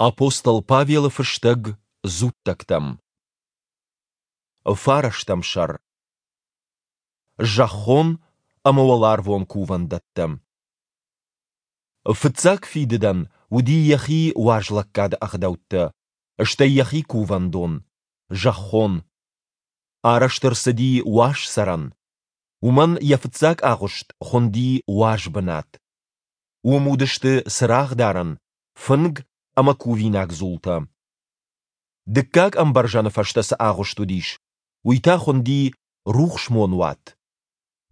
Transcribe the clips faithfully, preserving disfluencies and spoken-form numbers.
Апостол Павелы фыстӕг Дзуттӕгтӕм. Фарӕстӕм сӕр. Зӕххон ӕмӕ уӕларвон кувӕндӕттӕ. Фыццаг фидыдӕн уыди йӕхи уазлӕггады ӕгъдӕуттӕ, стӕй йӕхи кувӕндон, зӕххон. Арӕзт ӕрцыди уаз цӕрӕн. Уымӕн йӕ фыццаг агъуыст хуынди уаз бынат. Уым уыдысты цырагъдарӕн, фынг ӕмӕ кувинаг дзултӕ. Дыккаг ӕмбӕрзӕны фӕстӕ цы агъуыст уыдис, уый та хуынди рухсмонуат.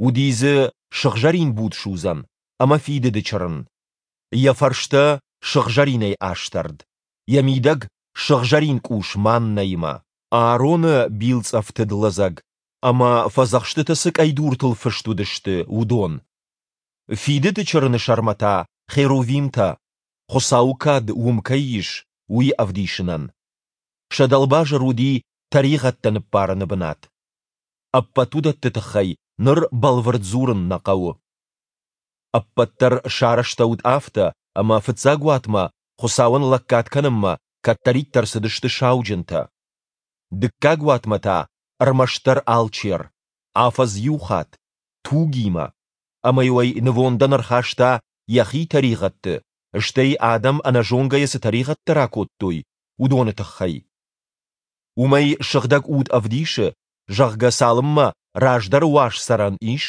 Уыди дзы сыгъзӕрин будсудзӕн ӕмӕ фидыды чырын. Йӕ фӕрстӕ сыгъзӕринӕй астӕрд, йӕ мидӕг сыгъзӕрин къус маннӕимӕ. Аароны билцъӕфтыд лӕдзӕг ӕмӕ, фӕдзӕхстытӕ цы къӕйдуртыл фыст уыдысты, уыдон. Фидыды чырыны сӕрмӕ та херувимтӕ, Хуыцауы кад уым кӕй ис, уый ӕвдисынӕн. Сӕ дӕлбазыр уыди тӕригъӕдтӕ ныббарыны бынат. Ӕппӕт уыдӕтты тыххӕй ныр бӕлвырд дзурын нӕ хъӕуы. Ӕппӕт дӕр сарӕзтӕуыд афтӕ, ӕмӕ фыццаг уатмӕ Хуыцауӕн лӕггад кӕнынмӕ кӕддӕриддӕр цыдысты сауджынтӕ. Дыккаг уатмӕ та ӕрмӕстдӕр алчер, афӕдз иу хатт, тугимӕ, ӕмӕ-иу ӕй нывондӕн ӕрхаста йӕхи тӕригъӕдты, стӕй адӕм ӕнӕзонгӕйӕ цы тӕригъӕдтӕ ракодтой, уыдоны тыххӕй. Уымӕй Сыгъдӕг Уд ӕвдисы, зӕгъгӕ, цалынмӕ раздӕры уаз цӕрӕн ис,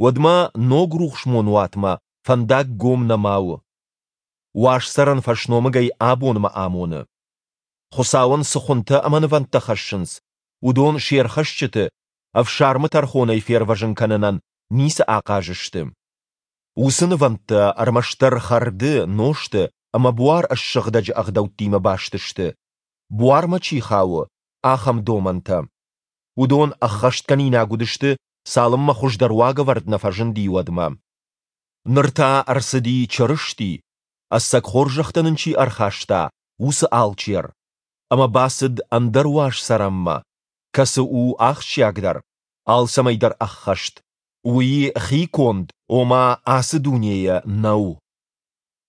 уӕдмӕ ног рухсмонуатмӕ фӕндаг гом нӕма у. Уаз цӕрӕн фӕсномыгӕй абонмӕ амоны. Хуыцауӕн цы хуынтӕ ӕмӕ нывӕндтӕ хӕссынц, уыдон се рхӕсджыты ӕфсармы тӕрхонӕй фервӕзын кӕнынӕн ницы ахъаз сты. Уыцы нывӕндтӕ ӕрмӕстдӕр хӕрды, нозты ӕмӕ буар ссыгъдӕджы ӕгъдӕуттимӕ баст сты, буармӕ чи хауы, ахӕм домӕнтӕ. Уыдон ӕххӕстгӕнинаг уыдысты, цалынмӕ хуыздӕр уагӕвӕрд нӕ фӕзынди, уӕдмӕ. Ныр та ӕрцыди Чырысти, ӕцӕг хорзӕхтӕ нын чи ӕрхаста, уыцы Алчер, ӕмӕ бацыд ӕндӕр уаз цӕрӕнмӕ, кӕцы у ахсджиагдӕр, алцӕмӕй дӕр ӕххӕст. Уый хиконд, ома ацы дунейӕ, нӕу.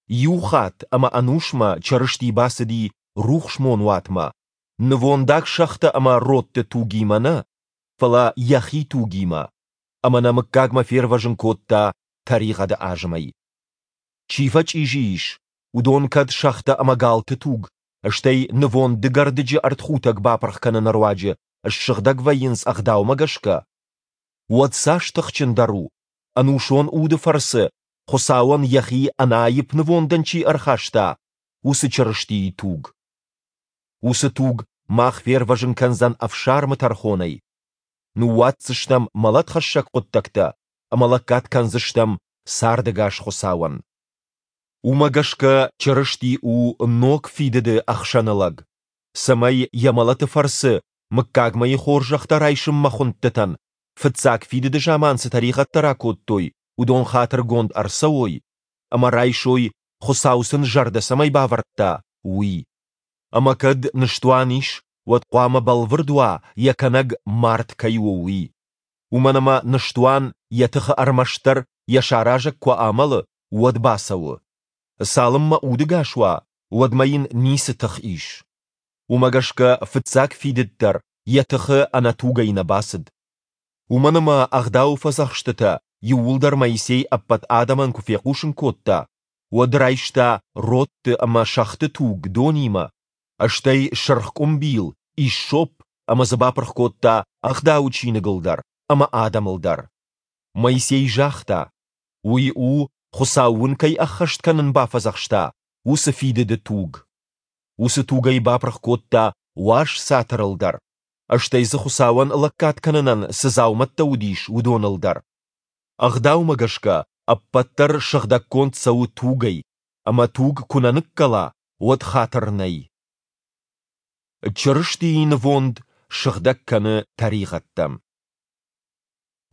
Иу хатт ӕмӕ ӕнусмӕ Чырысти бацыди рухсмонуатмӕ, нывондаг сӕгътӕ ӕмӕ родты тугимӕ нӕ, фӕлӕ йӕхи тугимӕ, ӕмӕ нӕ мыггагмӕ фервӕзын кодта тӕригъӕды азымӕй. Чи фӕчъизи ис, уыдон кӕд сӕгътӕ ӕмӕ галты туг, стӕй нывонд дыгӕрдыджы ӕртхутӕг бапырх кӕныны руаджы ссыгъдӕг вӕййынц ӕгъдаумӕ гӕсгӕ, уӕд цас тыхджындӕр у, ӕнусон уды фӕрцы Хуыцауӕн йӕхи ӕнӕаипп нывондӕн чи ӕрхаста, уыцы Чырыстийы туг. Уыцы туг мах фервӕзын кӕндзӕн ӕфсармы тӕрхонӕй. Ныууадздзыстӕм мӕлӕтхӕссӕг хъуыддӕгтӕ ӕмӕ лӕггад кӕндзыстӕм цардӕгас Хуыцауӕн. Уымӕ гӕсгӕ Чырысти у ног фидыды ӕхсӕнылӕг, цӕмӕй йӕ мӕлӕты фӕрцы мыггагмӕйы хорзӕхтӕ райсынмӕ хуындтытӕн, фыццаг фидыды заман цы тӕригъӕдтӕ ракодтой, уыдон хатыргонд ӕрцӕуой ӕмӕ райсой, Хуыцау сын зӕрдӕ цӕмӕй бавӕрдта, уый. Ӕмӕ кӕд ныстуан ис, уӕд хъуамӕ бӕлвырд уа, йӕ кӕнӕг мард кӕй у, уый. Уымӕн ӕмӕ ныстуан йӕ тыхы ӕрмӕстдӕр йӕ саразӕг куы амӕлы, уӕд бацӕуы. Цалынмӕ удыгас уа, уӕдмӕ йын ницы тых ис. Уымӕ гӕсгӕ фыццаг фидыд дӕр йӕ тыхы ӕнӕ тугӕй нӕ бацыд. Уымӕн ӕмӕ Ӕгъдауы фӕдзӕхстытӕ иууылдӕр Моисей ӕппӕт адӕмӕн куы фехъусын кодта, уӕд райста родты ӕмӕ сӕгъты туг донимӕ, стӕй сырх къуымбил, иссоп ӕмӕ дзы бапырх кодта Ӕгъдауы чиныгыл дӕр ӕмӕ адӕмыл дӕр. Моисей загъта: Уый у, Хуыцау уын кӕй ӕххӕст кӕнын бафӕдзӕхста, уыцы фидыды туг. Уыцы тугӕй бапырх кодта уаз цатырыл дӕр, стӕй дзы Хуыцауӕн лӕггад кӕнынӕн цы дзаумӕттӕ уыдис, уыдоныл дӕр. Ӕгъдаумӕ гӕсгӕ ӕппӕт дӕр сыгъдӕггонд цӕуы тугӕй, ӕмӕ туг куы нӕ ныккӕла, уӕд хатыр нӕй. Чырыстийы нывонд сыгъдӕг кӕны тӕригъӕдтӕ.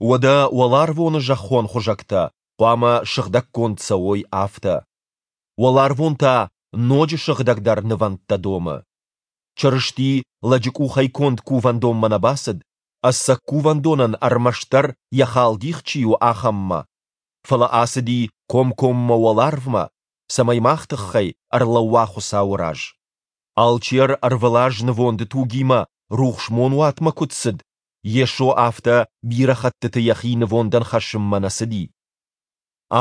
Уӕдӕ уӕларвоны зӕххон хуызӕгтӕ хъуамӕ сыгъдӕггонд цӕуой афтӕ. Уӕларвон та ноджы сыгъдӕгдӕр нывӕндтӕ домы. Чырысти лӕджы къухӕй конд кувӕндонмӕ нӕ бацыд, ӕцӕг кувӕндонӕн ӕрмӕстдӕр йӕ халдих чи у, ахӕммӕ, фӕлӕ ацыди комкоммӕ уӕларвмӕ, цӕмӕй мах тыххӕй ӕрлӕууа Хуыцауы раз. Алчер ӕрвылаз нывонды тугимӕ рухсмонуатмӕ куыд цыд, Йесо афтӕ бирӕ хӕттыты йӕхи нывондӕн хӕссынмӕ нӕ цыди.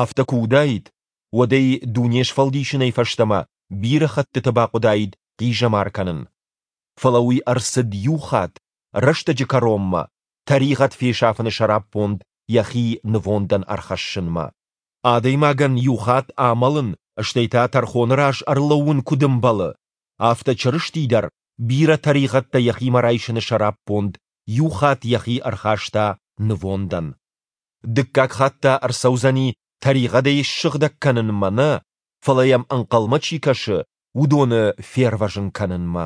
Афтӕ куы уыдаид, уӕд ӕй дуне сфӕлдисынӕй фӕстӕмӕ бирӕ хӕттыты бахъуыдаид хъизӕмар кӕнын. Фӕлӕ уый ӕрцыд иу хатт, рӕстӕджы кӕронмӕ, тӕригъӕд фесафыны сӕраппонд йӕхи нывондӕн ӕрхӕссынмӕ. Адӕймагӕн иу хатт амӕлын, стӕй та тӕрхоны раз ӕрлӕууын куыд ӕмбӕлы, афтӕ Чырысти дӕр бирӕ тӕригъӕдтӕ йӕхимӕ райсыны сӕраппонд иу хатт йӕхи ӕрхаста нывондӕн. Дыккаг хатт та ӕрцӕудзӕни тӕригъӕдӕй ссыгъдӕг кӕнынмӕ нӕ, фӕлӕ йӕм ӕнхъӕлмӕ чи кӕсы, уыдоны фервӕзын кӕнынмӕ.